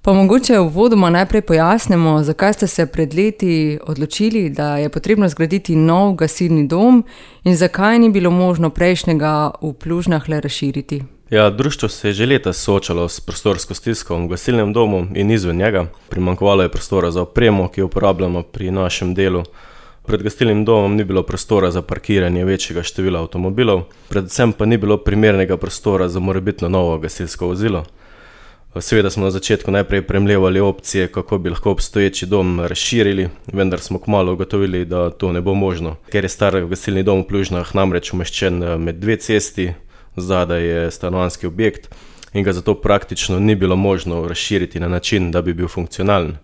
Pa mogoče uvodoma najprej pojasnimo, zakaj ste se pred leti odločili, da je potrebno zgraditi nov gasilni dom in zakaj ni bilo možno prejšnjega v Plužnah le razširiti. Ja, društvo se je že leta soočalo s prostorsko stisko v gasilnem domu in izven njega. Primanjkovalo je prostora za opremo, ki jo uporabljamo pri našem delu. Pred gasilnim domom ni bilo prostora za parkiranje večjega števila avtomobilov, predvsem pa ni bilo primernega prostora za morebitno novo gasilsko vozilo. Seveda smo na začetku najprej premlevali opcije, kako bi lahko obstoječi dom razširili, vendar smo kmalu ugotovili, da to ne bo možno. Ker je star gasilni dom v Plužnah namreč umeščen med dve cesti, zadaj je stanovanjski objekt in ga zato praktično ni bilo možno razširiti na način, da bi bil funkcionalen.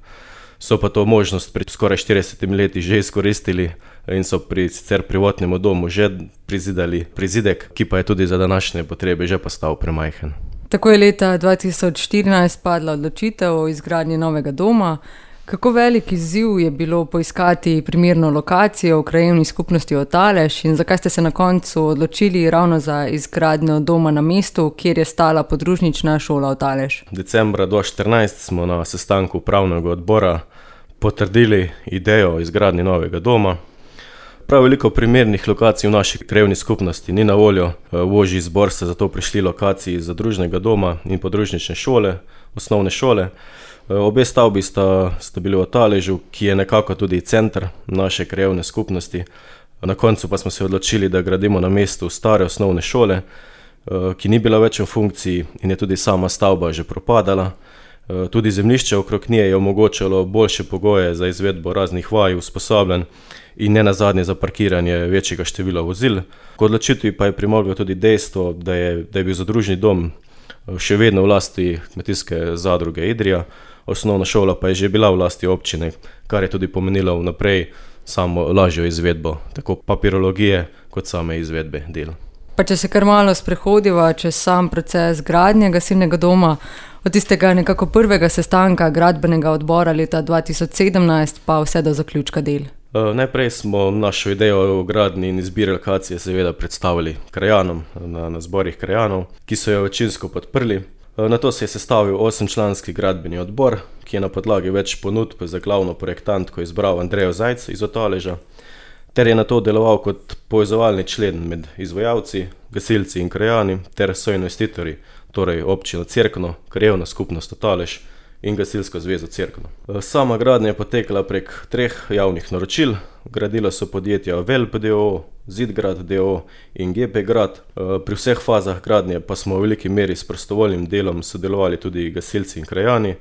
So pa to možnost pred skoraj 40 leti že izkoristili in so pri sicer prvotnemu domu že prizidali prizidek, ki pa je tudi za današnje potrebe že postal premajhen. Tako je leta 2014 padla odločitev o izgradnji novega doma. Kako velik izziv je bilo poiskati primerno lokacijo v krajevni skupnosti Otalež in zakaj ste se na koncu odločili ravno za izgradnjo doma na mestu, kjer je stala podružnična šola Otalež? Decembra 2014 smo na sestanku upravnega odbora potrdili idejo o izgradnji novega doma. Prav veliko primernih lokacij v naši krajevni skupnosti ni na voljo. V ožji izbor sta zato prišli lokaciji zadružnega doma in podružnične šole, osnovne šole. Obe stavbi sta bili v Otaležu, ki je nekako tudi center naše krajevne skupnosti. Na koncu pa smo se odločili, da gradimo na mestu stare osnovne šole, ki ni bila več v funkciji in je tudi sama stavba že propadala. Tudi zemljišče okrog nje je omogočalo boljše pogoje za izvedbo raznih vaj, usposabljanj in nenazadnje za parkiranje večjega števila vozil. K odločitvi pa je pripomoglo tudi dejstvo, da je bil zadružni dom še vedno v lasti kmetijske zadruge Idrija, osnovna šola pa je že bila v lasti občine, kar je tudi pomenilo vnaprej samo lažjo izvedbo, tako papirologije kot same izvedbe del. Pa če se kar malo sprehodiva čez sam proces gradnje gasilnega doma, od tistega nekako prvega sestanka gradbenega odbora leta 2017 pa vse do zaključka del. Najprej smo našo idejo o gradnji in izbiri lokacije seveda predstavili krajanom na zborih krajanov, ki so jo večinsko podprli. Nato se je sestavil 8-članski gradbeni odbor, ki je na podlagi več ponudb za glavno projektantko izbral Andrejo Zajc iz Otaleža, ter je nato deloval kot povezovalni člen med izvajalci, gasilci in krajani ter soinvestitorji, torej občino Cerkno, krajevna skupnost Otalež in gasilsko zvezo Cerkno. Sama gradnja je potekala prek 3 javnih naročil. Gradila so podjetja Velp d.o.o., Zidgrad d.o.o. in GP Grad. Pri vseh fazah gradnje pa smo v veliki meri s prostovoljnim delom sodelovali tudi gasilci in krajani,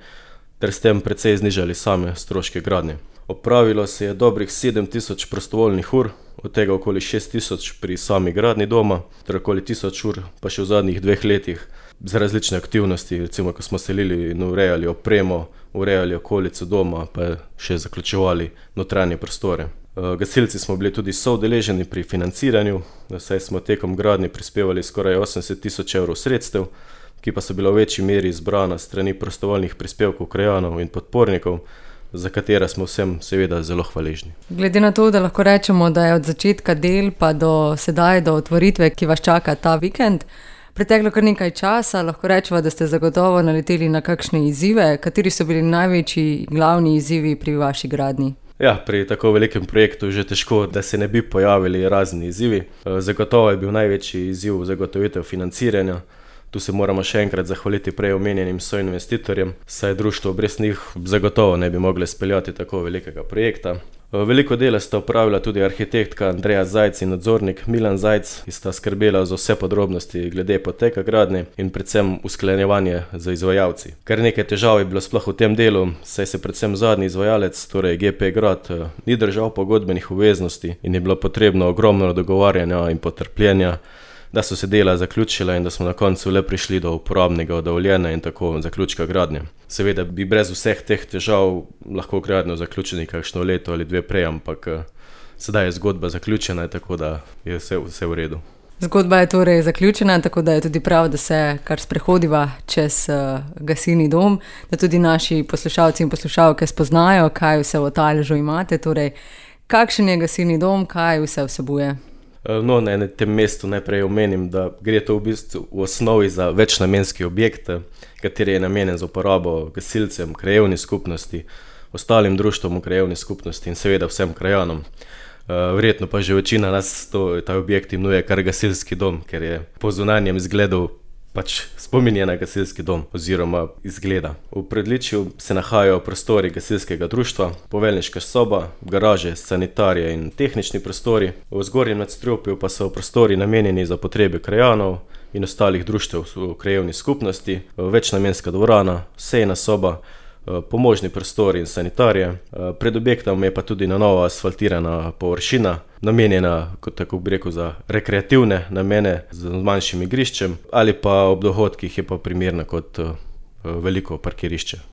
ter s tem precej znižali same stroške gradnje. Opravilo se je dobrih 7000 prostovoljnih ur, od tega okoli 6000 pri sami gradnji doma, ter okoli 1000 ur pa še v zadnjih 2 letih za različne aktivnosti, recimo ko smo selili in urejali opremo, urejali okolico doma, pa še zaključevali notranje prostore. Gasilci smo bili tudi soudeleženi pri financiranju, saj smo tekom gradnje prispevali skoraj 80 000 evrov sredstev, ki pa so bila v večji meri zbrana strani prostovoljnih prispevkov krajanov in podpornikov, za katera smo vsem seveda zelo hvaležni. Glede na to, da lahko rečemo, da je od začetka del pa do sedaj, do otvoritve, ki vas čaka ta vikend, preteklo kar nekaj časa, lahko rečemo, da ste zagotovo naleteli na kakšne izzive. Kateri so bili največji glavni izzivi pri vaši gradnji? Ja, pri tako velikem projektu že težko, da se ne bi pojavili razni izzivi. Zagotovo je bil največji izziv zagotovitev financiranja. Tu se moramo še enkrat zahvaliti prej omenjenim soinvestitorjem, saj društvo brez njih zagotovo ne bi mogli speljati tako velikega projekta. Veliko dela sta opravila tudi arhitektka Andreja Zajc in nadzornik Milan Zajc, ki sta skrbela za vse podrobnosti glede poteka gradnje in predvsem usklajevanje z izvajalci. Kar nekaj težav je bilo sploh v tem delu, saj se predvsem zadnji izvajalec, torej GP Grad, ni držal pogodbenih obveznosti in je bilo potrebno ogromno dogovarjanja in potrpljenja, da so se dela zaključila in da smo na koncu le prišli do uporabnega dovoljenja in tako zaključka gradnje. Seveda bi brez vseh teh težav lahko gradnjo zaključili kakšno leto ali 2 prej, ampak sedaj je zgodba zaključena, tako da je vse v redu. Zgodba je torej zaključena, tako da je tudi prav, da se kar sprehodiva čez gasilni dom, da tudi naši poslušalci in poslušalke spoznajo, kaj vse v Otaležu imate. Torej, kakšen je gasilni dom, kaj vse vsebuje? No, na tem mestu najprej omenim, da gre to v bistvu v osnovi za večnamenski objekt, kateri je namenjen za uporabo gasilcem, krajevni skupnosti, ostalim društvom v krajevni skupnosti in seveda vsem krajanom. Verjetno pa že večina nas ta objekt imenuje kar gasilski dom, ker je po zunanjem izgledu pač spominja na gasilski dom oziroma izgleda. V predličju se nahajajo prostori gasilskega društva, poveljniška soba, garaže, sanitarije in tehnični prostori. V zgornjem nadstropju pa so prostori namenjeni za potrebe krajanov in ostalih društev v krajevni skupnosti, večnamenska dvorana, sejna soba, pomožni prostori in sanitarije. Pred objektom je pa tudi na novo asfaltirana površina, namenjena, kot tako bi rekel, za rekreativne namene z manjšim igriščem ali pa ob dohodkih je pa primerna kot veliko parkirišče.